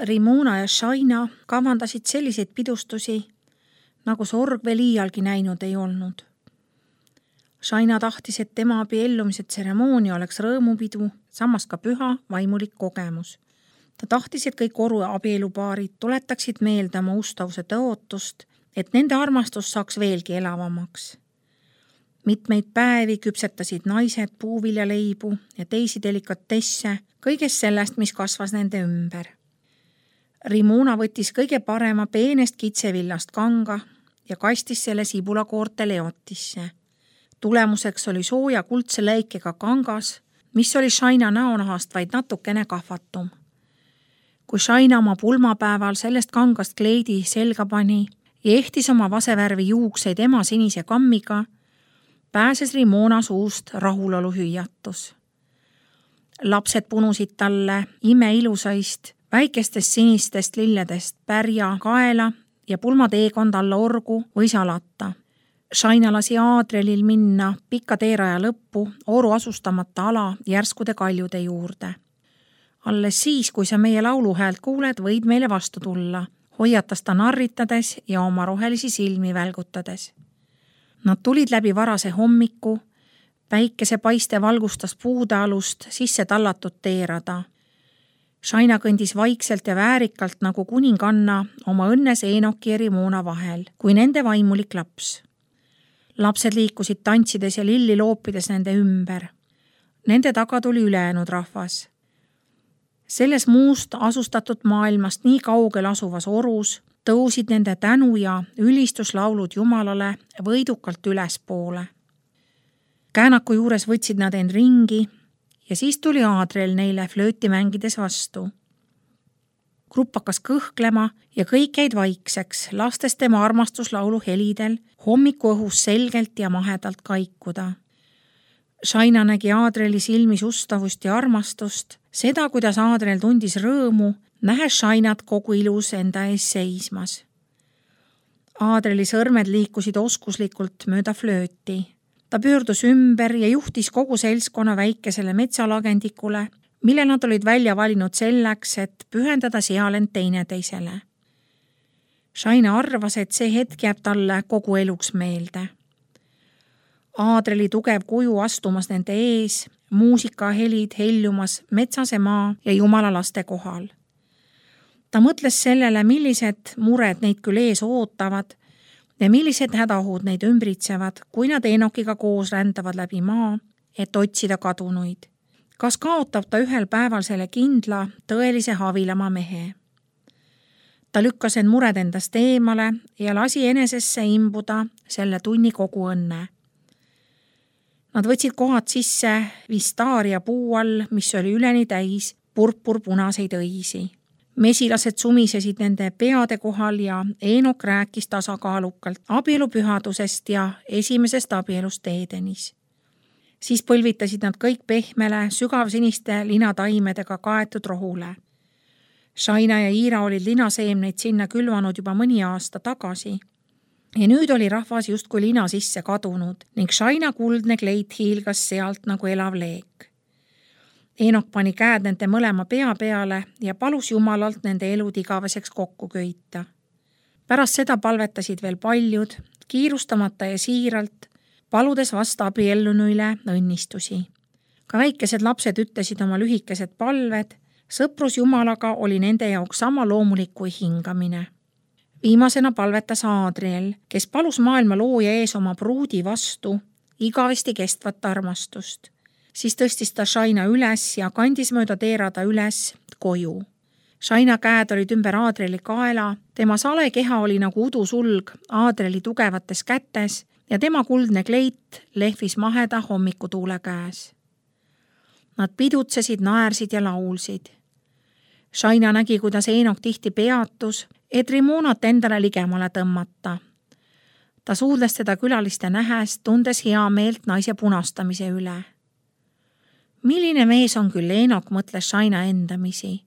Rimuna ja Shaina kavandasid selliseid pidustusi, nagu Sorg veel iialgi näinud ei olnud. Shaina tahtis, et tema abiellumise tseremoonia oleks rõõmupidu, samas ka püha vaimulik kogemus. Ta tahtis, et kõik Oru abielupaarid tuletaksid meelde oma ustavuse tõotust, et nende armastus saaks veelgi elavamaks. Mitmeid päevi küpsetasid naised puuviljaleibu ja teisi delikatesse kõigest sellest, mis kasvas nende ümber. Rimuna võttis kõige parema peenest kitsevillast kanga ja kastis selle sibulakoorte leotisse. Tulemuseks oli sooja kuldse läikega kangas, mis oli Shaina näonahast vaid natukene kahvatum. Kui Shaina oma pulmapäeval sellest kangast kleidi selga pani ja ehtis oma vasevärvi juukseid ema sinise kammiga, pääses Rimuna suust rahulolu hüüatus. Lapsed punusid talle imeilusaist, väikestest sinistest lilledest pärja kaela ja pulmateekond alla orgu või salata. Shaina lasi Aadrelil minna pika teeraja lõppu Oru asustamata ala järskude kaljude juurde. Alles siis, kui sa meie lauluhäält kuuled, võid meile vastu tulla, hoiatas ta narritades ja oma rohelisi silmi välgutades. Nad tulid läbi varase hommiku, päikese paiste valgustas puude alust sisse tallatud teerada. Shaina kõndis vaikselt ja väärikalt nagu kuninganna oma õnnes Eenoki ja Rimuna vahel, kui nende vaimulik laps. Lapsed liikusid tantsides ja lilli loopides nende ümber. Nende taga tuli ülejäänud rahvas. Selles muust asustatud maailmast nii kaugel asuvas Orus tõusid nende tänu ja ülistuslaulud Jumalale võidukalt ülespoole. Käänaku juures võtsid nad end ringi ja siis tuli Aadrel neile flööti mängides vastu. Grupp hakkas kõhklema ja kõik jäid vaikseks, lastes tema armastuslaulu helidel hommiku õhus selgelt ja mahedalt kaikuda. Shaina nägi Aadreli silmis ustavust ja armastust, seda, kuidas Aadrel tundis rõõmu, nähes Shainat kogu ilus enda ees seismas. Aadreli sõrmed liikusid oskuslikult mööda flööti. Ta pöördus ümber ja juhtis kogu seltskonna väikesele metsalagendikule, mille nad olid välja valinud selleks, et pühendada seal end teineteisele. Shaina arvas, et see hetk jääb talle kogu eluks meelde. Aadreli tugev kuju astumas nende ees, muusikahelid heljumas metsase maa ja Jumala laste kohal. Ta mõtles sellele, millised mured neid küll ees ootavad ja millised hädahud neid ümbritsevad, kui nad Eenokiga koos rändavad läbi maa, et otsida kadunuid. Kas kaotab ta ühel päeval selle kindla, tõelise havilama mehe? Ta lükkas end mured endast eemale ja lasi enesesse imbuda selle tunni kogu õnne. Nad võtsid kohad sisse vistaaria puu all, mis oli üleni täis purpurpunaseid õisi. Mesilased sumisesid nende peade kohal ja Eenok rääkis tasakaalukalt abielupühadusest ja esimesest abielust Edenis. Siis põlvitasid nad kõik pehmele, sügavsiniste linataimedega kaetud rohule. Shaina ja Iira olid linaseemneid sinna külvanud juba mõni aasta tagasi. Ja nüüd oli rahvas justkui lina sisse kadunud ning Shaina kuldne kleit hiilgas sealt nagu elav leek. Eenok pani käed nende mõlema pea peale ja palus Jumalalt nende elud igaveseks kokku köita. Pärast seda palvetasid veel paljud, kiirustamata ja siiralt, paludes vast abiellunuile õnnistusi. Ka väikesed lapsed ütlesid oma lühikesed palved, sõprus Jumalaga oli nende jaoks sama loomulik kui hingamine. Viimasena palvetas Aadriel, kes palus maailma looja ees oma pruudi vastu igavesti kestvat armastust. Siis tõstis ta Shaina üles ja kandis mööda teerada üles koju. Shaina käed olid ümber Aadrieli kaela, tema sale keha oli nagu udusulg Aadrieli tugevates kätes ja tema kuldne kleit lehvis maheda hommikutuule käes. Nad pidutsesid, naersid ja laulsid. Shaina nägi, kuidas Eenok tihti peatus, et Rimunat endale ligemale tõmmata. Ta suudles teda külaliste nähes, tundes hea meelt naise punastamise üle. Milline mees on küll Eenok, mõtles Shaina endamisi.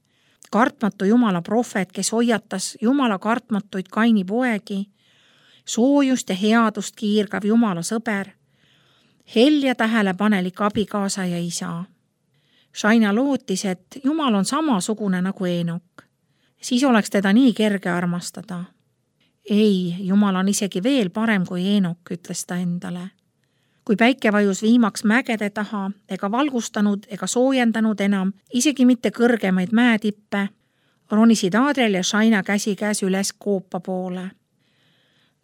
Kartmatu Jumala prohvet, kes hoiatas Jumala kartmatuid Kaini poegi, soojust ja headust kiirgav Jumala sõber, helja tähelepanelik abikaasa ja isa. Shaina lootis, et Jumal on samasugune nagu Eenok. Siis oleks teda nii kerge armastada. Ei, Jumal on isegi veel parem kui Eenok, ütles ta endale. Kui päike vajus viimaks mägede taha ega valgustanud ega soojendanud enam isegi mitte kõrgemaid mäetippe, ronisid Adriel ja Shaina käsikäes üles koopa poole.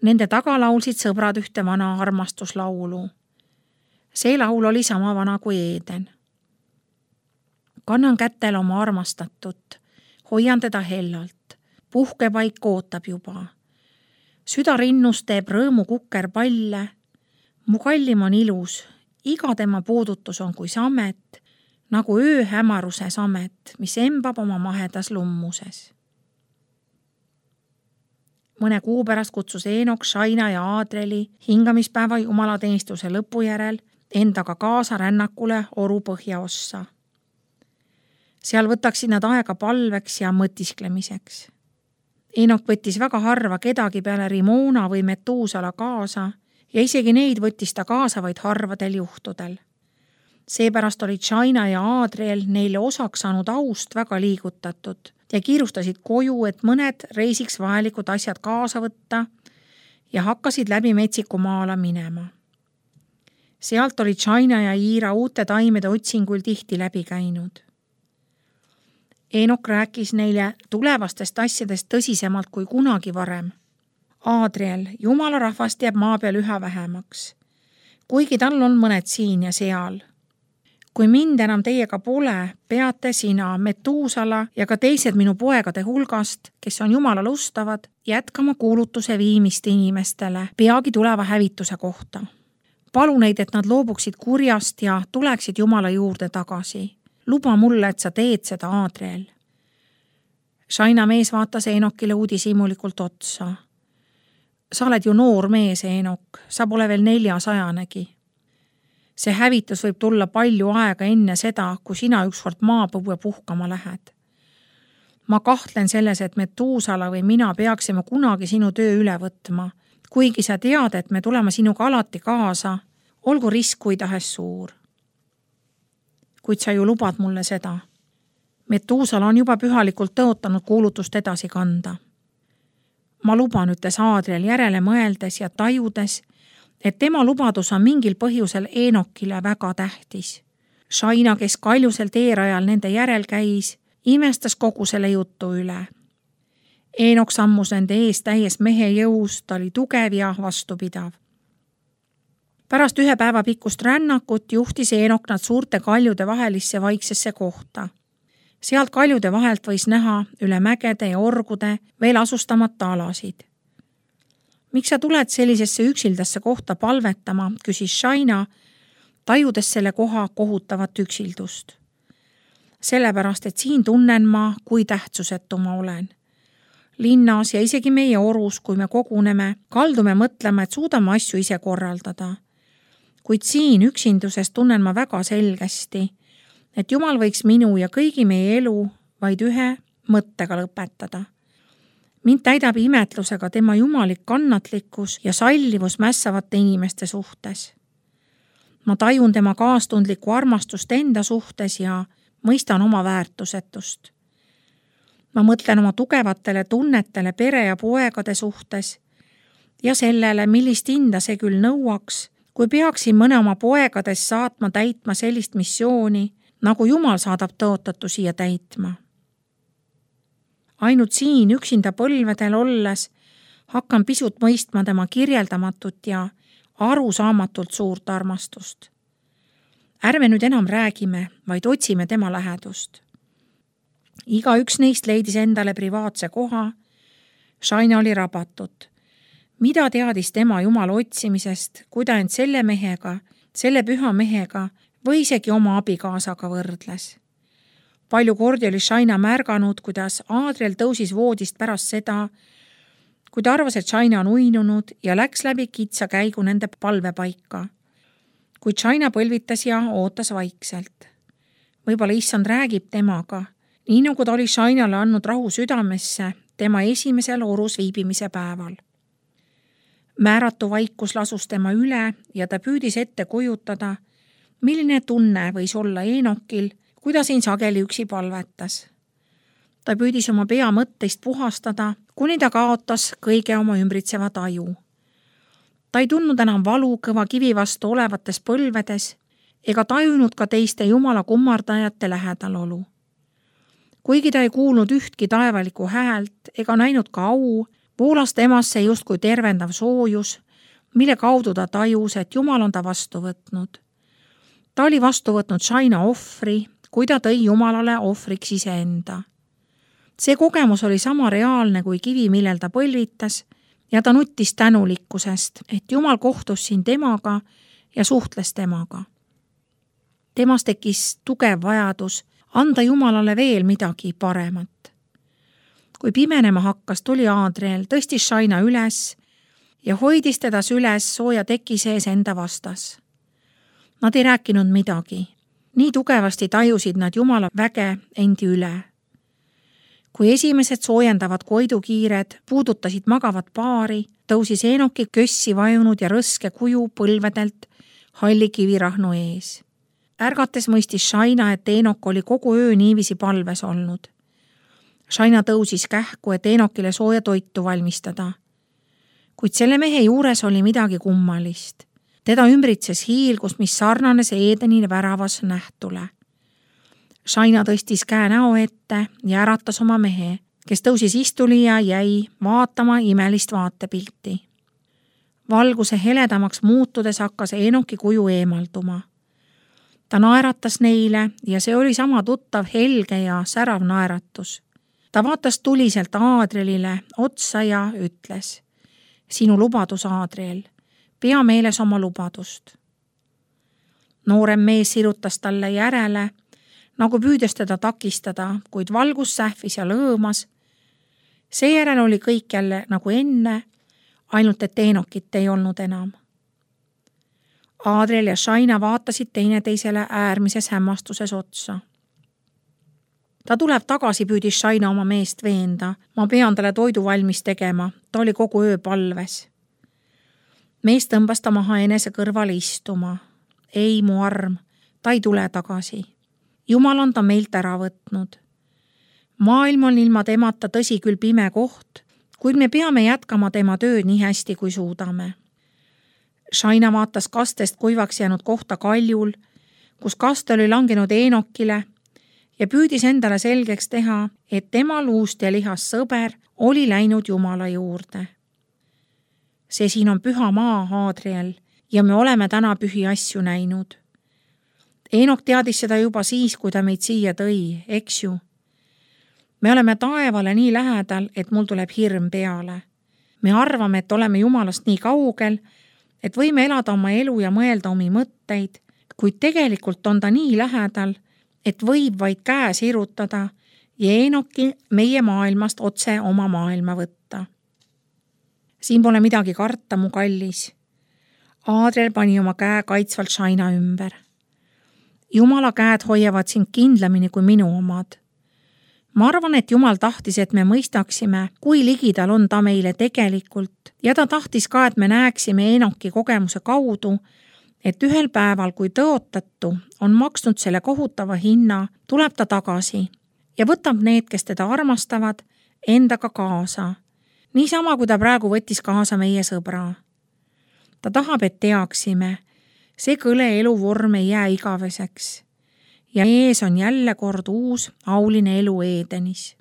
Nende taga laulsid sõbrad ühte vana armastuslaulu. See laul oli sama vana kui Eeden. Kannan kätel oma armastatut, hoian teda hellalt, puhkepaik ootab juba. Süda rinnus teeb rõõmu kukker palle, mu kallim on ilus, iga tema puudutus on kui samet, nagu öö hämaruse samet, mis embab oma mahedas lummuses. Mõne kuu pärast kutsus Eenok, Shaina ja Adrieli hingamispäeva jumalateenistuse lõpu järel endaga kaasa rännakule Oru põhjaossa. Seal võtaksid nad aega palveks ja mõtisklemiseks. Eenok võttis väga harva kedagi peale Rimona või Metuusala kaasa ja isegi neid võttis ta kaasa vaid harvadel juhtudel. Seepärast olid Shaina ja Adriel neile osaks saanud aust väga liigutatud ja kiirustasid koju, et mõned reisiks vajalikud asjad kaasa võtta ja hakkasid läbi metsiku maala minema. Sealt olid Shaina ja Iira uute taimede otsingul tihti läbi käinud. Eenok rääkis neile tulevastest asjadest tõsisemalt kui kunagi varem. Adriel, Jumala rahvast jääb maa peal üha vähemaks, kuigi tal on mõned siin ja seal. Kui mind enam teiega pole, peate sina, Metuusala ja ka teised minu poegade hulgast, kes on Jumalale ustavad, jätkama kuulutuse viimist inimestele peagi tuleva hävituse kohta. Palu neid, et nad loobuksid kurjast ja tuleksid Jumala juurde tagasi. Luba mulle, et sa teed seda, Adriel. Shaina mees vaatas Eenokile uudishimulikult otsa. Sa oled ju noor mees, Eenok, sa pole veel 400-negi. See hävitus võib tulla palju aega enne seda, kui sina ükskord maapõue puhkama lähed. Ma kahtlen selles, et Metuusala või mina peaksime kunagi sinu töö üle võtma, kuigi sa tead, et me tuleme sinuga alati kaasa, olgu risk kui tahes suur. Kuid sa ju lubad mulle seda. Metuusala on juba pühalikult tõotanud kuulutust edasi kanda. Ma luban, ütles Adriel järele mõeldes ja tajudes, et tema lubadus on mingil põhjusel Eenokile väga tähtis. Shaina, kes kaljusel teerajal nende järel käis, imestas kogu selle jutu üle. Eenok sammus nende ees täies mehe jõus, ta oli tugev ja vastupidav. Pärast 1 päeva pikkust rännakut juhtis Eenok nad suurte kaljude vahelisse vaiksesse kohta. Sealt kaljude vahelt võis näha üle mägede ja orgude veel asustamata alasid. Miks sa tuled sellisesse üksildasse kohta palvetama, küsis Shaina, tajudes selle koha kohutavat üksildust. Sellepärast, et siin tunnen ma, kui tähtsusetu ma olen. Linnas ja isegi meie orus, kui me koguneme, kaldume mõtlema, et suudame asju ise korraldada. Kuid siin üksinduses tunnen ma väga selgesti, et Jumal võiks minu ja kõigi meie elu vaid ühe mõttega lõpetada. Mind täidab imetlusega tema jumalik kannatlikkus ja sallivus mässavate inimeste suhtes. Ma tajun tema kaastundlikku armastust enda suhtes ja mõistan oma väärtusetust. Ma mõtlen oma tugevatele tunnetele pere ja poegade suhtes ja sellele, millist hinda see küll nõuaks, kui peaksin mõne oma poegadest saatma täitma sellist missiooni, nagu Jumal saadab tõotatu siia täitma. Ainult siin üksinda põlvedel olles hakkan pisut mõistma tema kirjeldamatut ja arusaamatult suurt armastust. Ärme nüüd enam räägime, vaid otsime tema lähedust. Igaüks neist leidis endale privaatse koha. Shaina oli rabatud. Mida teadis tema Jumala otsimisest, kui ta end selle mehega, selle püha mehega või isegi oma abikaasaga võrdles? Palju kordi oli Shaina märganud, kuidas Adriel tõusis voodist pärast seda, kui ta arvas, et Shaina on uinunud ja läks läbi kitsa käigu nende palvepaika. Kuid Shaina põlvitas ja ootas vaikselt. Võib-olla issand räägib temaga, nii nagu ta oli Shainale andnud rahu südamesse tema esimesel orus viibimise päeval. Määratu vaikus lasus tema üle ja ta püüdis ette kujutada, milline tunne võis olla Eenokil, kui ta siin sageli üksi palvetas. Ta püüdis oma pea mõtteist puhastada, kuni ta kaotas kõige oma ümbritseva taju. Ta ei tundnud enam valu kõva kivi vastu olevates põlvedes ega tajunud ka teiste Jumala kummardajate lähedalolu. Kuigi ta ei kuulnud ühtki taevalikku häält ega näinud ka au, voolas temasse justkui tervendav soojus, mille kaudu ta tajus, et Jumal on ta vastu võtnud. Ta oli vastu võtnud Shaina ohvri, kui ta tõi Jumalale ohvriks iseenda. See kogemus oli sama reaalne kui kivi, millel ta põlvitas, ja ta nuttis tänulikkusest, et Jumal kohtus siin temaga ja suhtles temaga. Temas tekkis tugev vajadus anda Jumalale veel midagi paremat. Kui pimenema hakkas, tuli Adriel, tõstis Shaina üles ja hoidis teda süles sooja teki sees enda vastas. Nad ei rääkinud midagi. Nii tugevasti tajusid nad Jumala väge endi üle. Kui esimesed soojendavad koidukiired puudutasid magavat paari, tõusis Eenoki kössi vajunud ja rõske kuju põlvedelt halli kivirahnu ees. Ärgates mõistis Shaina, et Eenok oli kogu öö niivisi palves olnud. Shaina tõusis kähku, et Eenokile sooja toitu valmistada. Kuid selle mehe juures oli midagi kummalist. Teda ümbritses hiilgus, mis sarnanes Eedeni väravas nähtule. Shaina tõstis käe näo ette ja äratas oma mehe, kes tõusis istuli ja jäi vaatama imelist vaatepilti. Valguse heledamaks muutudes hakkas Eenoki kuju eemalduma. Ta naeratas neile ja see oli sama tuttav helge ja särav naeratus. Ta vaatas tuliselt Adrielile otsa ja ütles: sinu lubadus, Adriel, pea meeles oma lubadust. Noorem mees sirutas talle järele, nagu püüdes teda takistada, kuid valgus sähvis ja lõõmas. Seejärel oli kõik jälle nagu enne, ainult et Eenokit ei olnud enam. Adriel ja Shaina vaatasid teineteisele äärmises hämmastuses otsa. Ta tuleb tagasi, püüdis Shaina oma meest veenda. Ma pean talle toidu valmis tegema, ta oli kogu öö palves. Mees tõmbas ta maha enese kõrval istuma. Ei, mu arm, ta ei tule tagasi. Jumal on ta meilt ära võtnud. Maailm on ilma temata tõsi küll pime koht, kuid me peame jätkama tema tööd nii hästi, kui suudame. Shaina vaatas kastest kuivaks jäänud kohta kaljul, kus kaste oli langenud Eenokile ja püüdis endale selgeks teha, et tema luust ja lihast sõber oli läinud Jumala juurde. See siin on püha maa, Adriel, ja me oleme täna pühi asju näinud. Eenok teadis seda juba siis, kui ta meid siia tõi, eks ju. Me oleme taevale nii lähedal, et mul tuleb hirm peale. Me arvame, et oleme Jumalast nii kaugel, et võime elada oma elu ja mõelda omi mõtteid, kuid tegelikult on ta nii lähedal, et võib vaid käe sirutada ja Eenoki meie maailmast otse oma maailma võtta. Siin pole midagi karta, mu kallis. Adriel pani oma käe kaitsvalt Shaina ümber. Jumala käed hoiavad sind kindlamini kui minu omad. Ma arvan, et Jumal tahtis, et me mõistaksime, kui ligidal on ta meile tegelikult ja ta tahtis ka, et me näeksime Eenoki kogemuse kaudu, et ühel päeval, kui tõotatu on maksnud selle kohutava hinna, tuleb ta tagasi ja võtab need, kes teda armastavad, endaga kaasa. Niisama, kui ta praegu võttis kaasa meie sõbra. Ta tahab, et teaksime, see kõle eluvorm ei jää igaveseks. Ja ees on jälle kord uus auline elu Eedenis.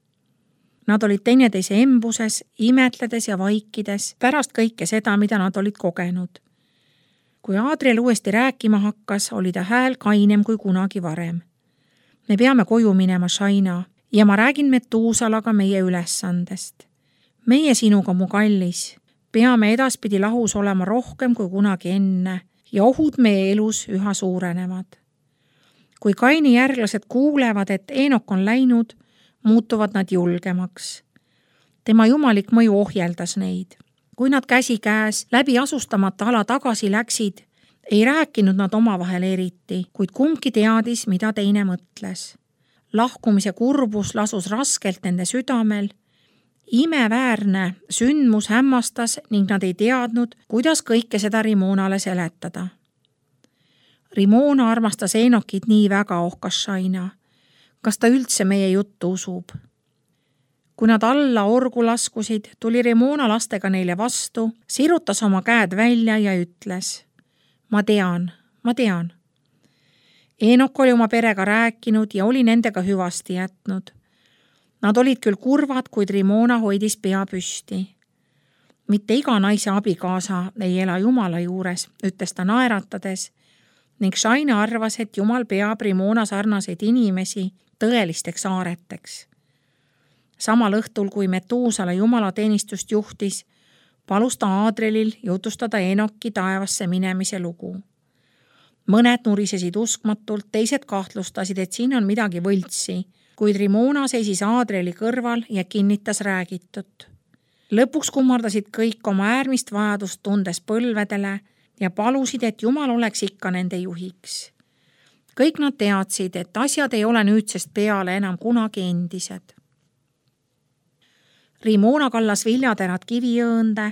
Nad olid teineteise embuses, imetledes ja vaikides pärast kõike seda, mida nad olid kogenud. Kui Adriel uuesti rääkima hakkas, oli ta hääl kainem kui kunagi varem. Me peame koju minema, Shaina, ja ma räägin Metuusalaga meie ülesandest. Meie sinuga, mu kallis, peame edaspidi lahus olema rohkem kui kunagi enne ja ohud meie elus üha suurenevad. Kui Kaini järglased kuulevad, et Eenok on läinud, muutuvad nad julgemaks. Tema jumalik mõju ohjeldas neid. Kui nad käsi käes läbi asustamata ala tagasi läksid, ei rääkinud nad omavahel eriti, kuid kumbki teadis, mida teine mõtles. Lahkumise kurbus lasus raskelt nende südamel. Imeväärne sündmus hämmastas ning nad ei teadnud, kuidas kõike seda Rimonale seletada. Rimona armastas Eenokit nii väga, ohkas Shaina. Kas ta üldse meie juttu usub? Kui nad alla orgu laskusid, tuli Rimona lastega neile vastu, sirutas oma käed välja ja ütles: ma tean. Eenok oli oma perega rääkinud ja oli nendega hüvasti jätnud. Nad olid küll kurvad, kuid Rimona hoidis pea püsti. Mitte iga naise abikaasa ei ela Jumala juures, ütles ta naeratades, ning Shaina arvas, et Jumal peab Rimona sarnaseid inimesi tõelisteks aareteks. Samal õhtul, kui Metuusala jumalateenistust juhtis, palus ta Aadrelil jutustada Enoki taevasse minemise lugu. Mõned nurisesid uskmatult, teised kahtlustasid, et siin on midagi võltsi, kuid Rimona seisis Aadreli kõrval ja kinnitas räägitut. Lõpuks kummardasid kõik oma äärmist vajadust tundes põlvedele ja palusid, et Jumal oleks ikka nende juhiks. Kõik nad teadsid, et asjad ei ole nüüdsest peale enam kunagi endised. Rimona kallas viljaterad kiviõõnde,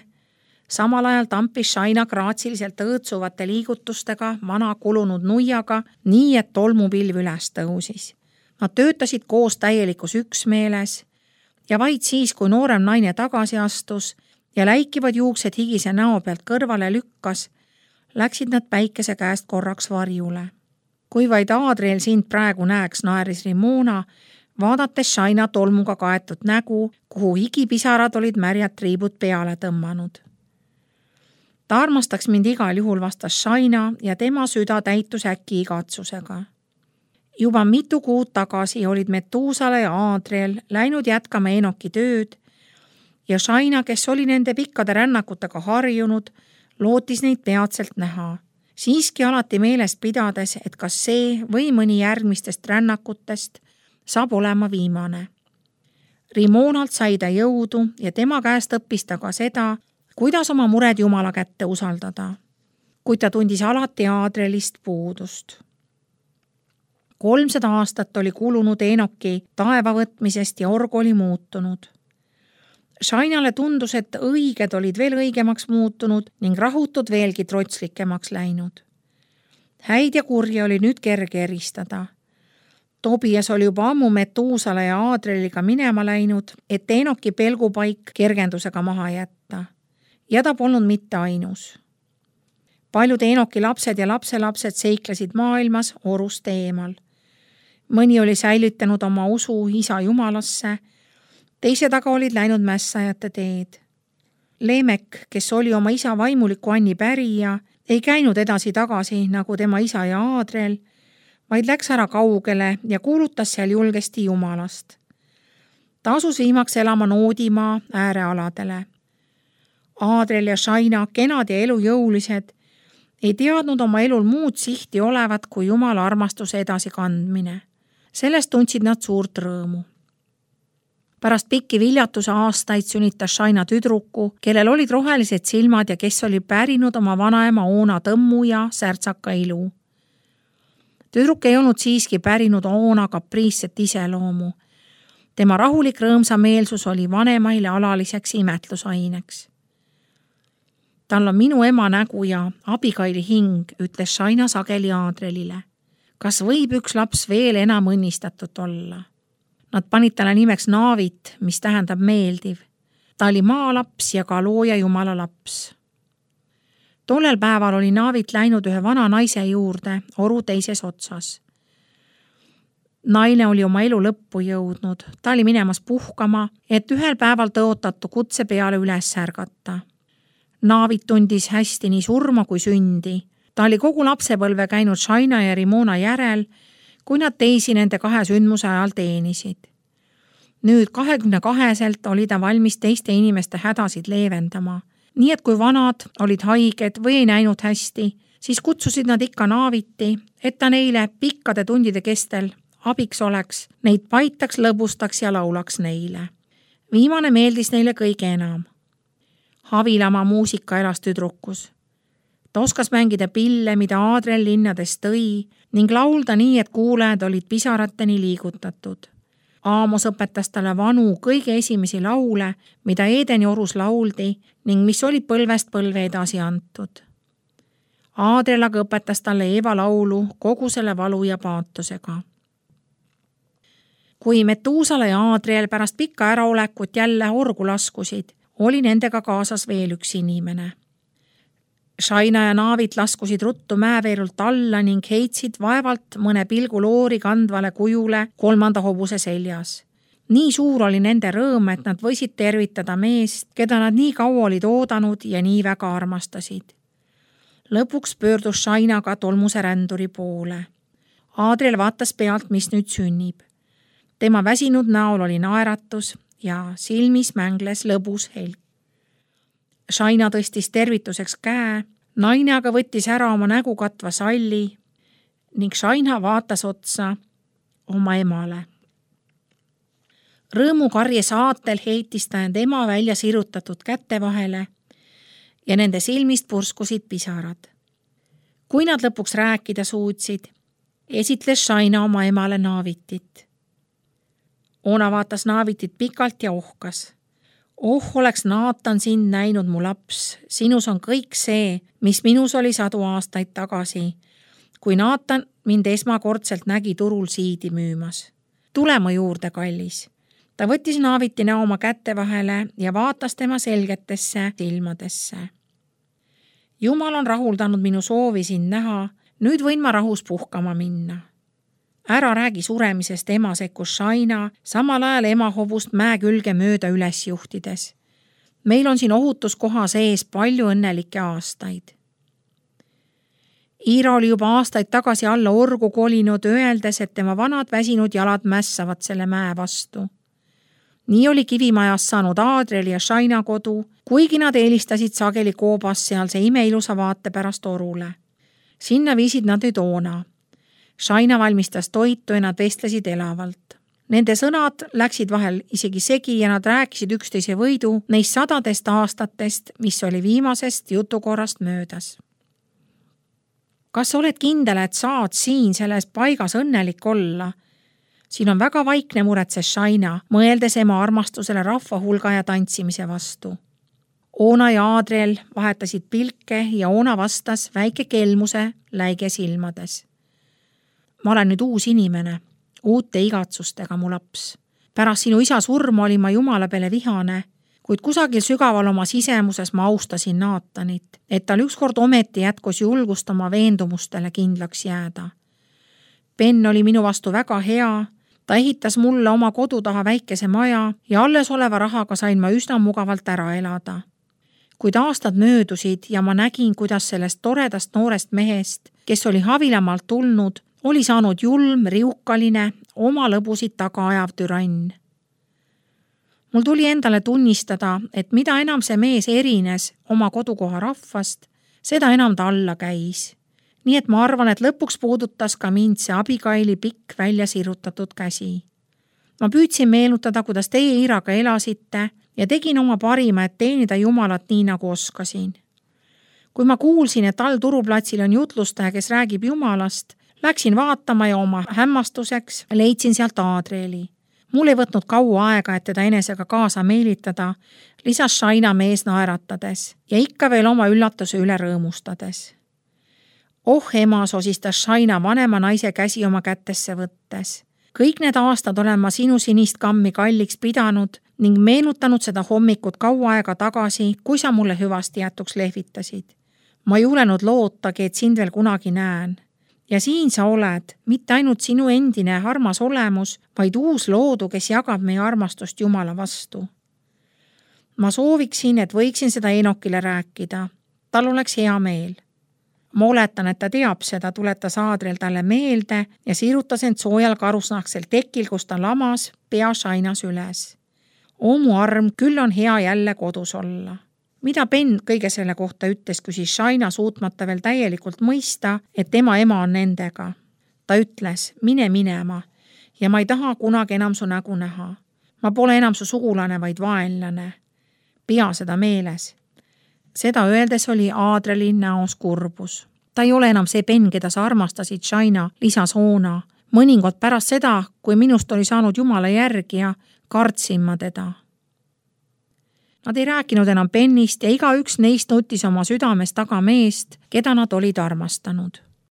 samal ajal tampis Shaina graatsiliselt õõtsuvate liigutustega vana kulunud nuiaga, nii et tolmupilv üles tõusis. Nad töötasid koos täielikus üksmeeles ja vaid siis, kui noorem naine tagasi astus ja läikivad juuksed higise näo pealt kõrvale lükkas, läksid nad päikese käest korraks varjule. Kui vaid Aadrel sind praegu näeks, naeris Rimona, vaadates Shaina tolmuga kaetud nägu, kuhu higipisarad olid märjad triibud peale tõmmanud. Ta armastaks mind igal juhul, vastas Shaina ja tema süda täitus äkki igatsusega. Juba mitu kuud tagasi olid Metuusala ja Aadrel läinud jätkama Enoki tööd ja Shaina, kes oli nende pikkade rännakutega harjunud, lootis neid peatselt näha. Siiski alati meeles pidades, et kas see või mõni järgmistest rännakutest saab olema viimane. Rimonalt sai ta jõudu ja tema käest õppis ta ka seda, kuidas oma mured Jumala kätte usaldada, kuid ta tundis alati Aadrelist puudust. 300 aastat oli kulunud Enoki taeva võtmisest ja org oli muutunud. Shainale tundus, et õiged olid veel õigemaks muutunud ning rahutud veelgi trotslikemaks läinud. Häid ja kurja oli nüüd kerge eristada. Tobias oli juba ammu Metuusala ja Aadreliga minema läinud, et Enoki pelgupaik kergendusega maha jätta. Ja ta polnud mitte ainus. Paljud Enoki lapsed ja lapselapsed seiklesid maailmas orust eemal. Mõni oli säilitanud oma usu isa Jumalasse, teised aga olid läinud mässajate teed. Lemek, kes oli oma isa vaimuliku Anni pärija, ei käinud edasi-tagasi nagu tema isa ja Aadrel, vaid läks ära kaugele ja kuulutas seal julgesti Jumalast. Ta asus viimaks elama Noodimaa äärealadele. Aadrel ja Shaina, kenad ja elujõulised, ei teadnud oma elul muud sihti olevat kui Jumala armastuse edasikandmine. Sellest tundsid nad suurt rõõmu. Pärast pikki viljatuse aastaid sünnitas Shaina tüdruku, kellel olid rohelised silmad ja kes oli pärinud oma vanaema Oona tõmmu ja särtsaka ilu. Tüdruk ei olnud siiski pärinud Oona kapriisset iseloomu. Tema rahulik rõõmsameelsus oli vanemaile alaliseks imetlusaineks. Tal on minu ema nägu ja abikaili hing, ütles Shaina sageli Aadrelile. Kas võib üks laps veel enam õnnistatud olla? Nad panid talle nimeks Naavit, mis tähendab meeldiv. Ta oli maalaps ja ka looja Jumala laps. Tollel päeval oli Naavit läinud ühe vana naise juurde oru teises otsas. Naine oli oma elu lõppu jõudnud. Ta oli minemas puhkama, et ühel päeval tõotatu kutse peale üles ärgata. Naavit tundis hästi nii surma kui sündi. Ta oli kogu lapsepõlve käinud Shaina ja Rimona järel, kui nad teisi nende kahe sündmuse ajal teenisid. Nüüd 22-selt oli ta valmis teiste inimeste hädasid leevendama. Nii et kui vanad olid haiged või ei näinud hästi, siis kutsusid nad ikka Naaviti, et ta neile pikkade tundide kestel abiks oleks, neid paitaks, lõbustaks ja laulaks neile. Viimane meeldis neile kõige enam. Havilama muusika elas tüdrukus. Ta oskas mängida pille, mida Aadrel linnades tõi ning laulda nii, et kuulajad olid pisarateni liigutatud. Aamos õpetas talle vanu kõige esimesi laule, mida Eedeni orus lauldi ning mis oli põlvest põlve edasi antud. Aadrel aga õpetas talle Eeva laulu kogu selle valu ja paatosega. kui Metuusala ja Aadriel pärast pikka äraolekut jälle orgu laskusid, oli nendega kaasas veel üks inimene. Shaina ja Naavit laskusid ruttu mäeveerult alla ning heitsid vaevalt mõne pilgu loori kandvale kujule 3. hobuse seljas. Nii suur oli nende rõõm, et nad võisid tervitada meest, keda nad nii kaua olid oodanud ja nii väga armastasid. Lõpuks pöördus Shaina ka tolmuse ränduri poole. Aadriel vaatas pealt, mis nüüd sünnib. Tema väsinud näol oli naeratus ja silmis mängles lõbus helk. Shaina tõstis tervituseks käe, naine aga võttis ära oma nägu katva salli ning Shaina vaatas otsa oma emale. Rõõmukarje saatel heitis ta end ema välja sirutatud käte vahele ja nende silmist purskusid pisarad. Kui nad lõpuks rääkida suutsid, esitles Shaina oma emale Naavitit. Oona vaatas Naavitit pikalt ja ohkas. Oh, oleks Naatan sind näinud, mu laps, sinus on kõik see, mis minus oli 100 aastaid tagasi, kui Naatan mind esmakordselt nägi turul siidi müümas. Tule mu juurde, kallis. Ta võttis Naaviti näo oma kätte vahele ja vaatas tema selgetesse silmadesse. Jumal on rahuldanud minu soovi sind näha, nüüd võin ma rahus puhkama minna. Ära räägi suremisest, ema sekkus Shaina, samal ajal ema hobust mäe külge mööda üles juhtides. Meil on siin ohutuskoha sees palju õnnelikke aastaid. Iira oli juba aastaid tagasi alla orgu kolinud, öeldes, et tema vanad väsinud jalad mässavad selle mäe vastu. Nii oli Kivimajas saanud Aadriel ja Shaina kodu, kuigi nad eelistasid sageli koobas sealse imeilusa vaate pärast orule. Sinna viisid nad nüüd Oona. Shaina valmistas toitu ja nad vestlesid elavalt. Nende sõnad läksid vahel isegi segi ja nad rääkisid üksteise võidu neist 100 aastatest, mis oli viimasest jutukorrast möödas. Kas oled kindel, et saad siin selles paigas õnnelik olla? Siin on väga vaikne, muretses Shaina, mõeldes ema armastusele rahva hulga ja tantsimise vastu. Oona ja Aadriel vahetasid pilke ja Oona vastas väike kelmuse läige silmades. Ma olen nüüd uus inimene, uute igatsustega, mu laps. Pärast sinu isa surma olin ma Jumala peale vihane, kuid kusagil sügaval oma sisemuses ma austasin Naatanit, et tal ükskord ometi jätkus julgust oma veendumustele kindlaks jääda. Ben oli minu vastu väga hea, ta ehitas mulle oma kodu taha väikese maja ja alles oleva rahaga sain ma üsna mugavalt ära elada. Kuid aastad möödusid ja ma nägin, kuidas sellest toredast noorest mehest, kes oli Havilamaalt tulnud, oli saanud julm, riukaline, oma lõbusid taga ajav türann. Mul tuli endale tunnistada, et mida enam see mees erines oma kodukoha rahvast, seda enam ta alla käis. Nii et ma arvan, et lõpuks puudutas ka mind see Abigaili pikk välja sirutatud käsi. Ma püüdsin meenutada, kuidas teie Iiraga elasite ja tegin oma parima, et teenida Jumalat nii, nagu oskasin. Kui ma kuulsin, et all turuplatsil on jutlustaja, kes räägib Jumalast, läksin vaatama ja oma hämmastuseks leidsin sealt Aadrieli. Mul ei võtnud kaua aega, et teda enesega kaasa meelitada, lisas Shaina mees naeratades ja ikka veel oma üllatuse üle rõõmustades. Oh ema, sosistas Shaina vanema naise käsi oma kätesse võttes. Kõik need aastad olen ma sinu sinist kammi kalliks pidanud ning meenutanud seda hommikut kaua aega tagasi, kui sa mulle hüvasti jätuks lehvitasid. Ma ei julenud lootagi, et sind veel kunagi näen. Ja siin sa oled, mitte ainult sinu endine armas olemus, vaid uus loodu, kes jagab meie armastust Jumala vastu. Ma sooviksin, et võiksin seda Enokile rääkida. Tal oleks hea meel. Ma oletan, et ta teab seda, tuletas Aadriel talle meelde ja sirutas end soojal karusnahksel tekil, kus ta lamas pea Shainas üles. O mu arm, küll on hea jälle kodus olla. Mida Ben kõige selle kohta ütles, küsis Shaina suutmata veel täielikult mõista, et tema ema on nendega. Ta ütles, mine minema ja ma ei taha kunagi enam su nägu näha. Ma pole enam su sugulane, vaid vaenlane. Pea seda meeles. Seda öeldes oli Aadrieli näos kurbus. Ta ei ole enam see Ben, keda sa armastasid, Shaina, lisas Oona. Mõningad pärast seda, kui minust oli saanud Jumala järgija, kartsin ma teda. Nad ei rääkinud enam Benist ja igaüks neist nutis oma südames taga meest, keda nad olid armastanud.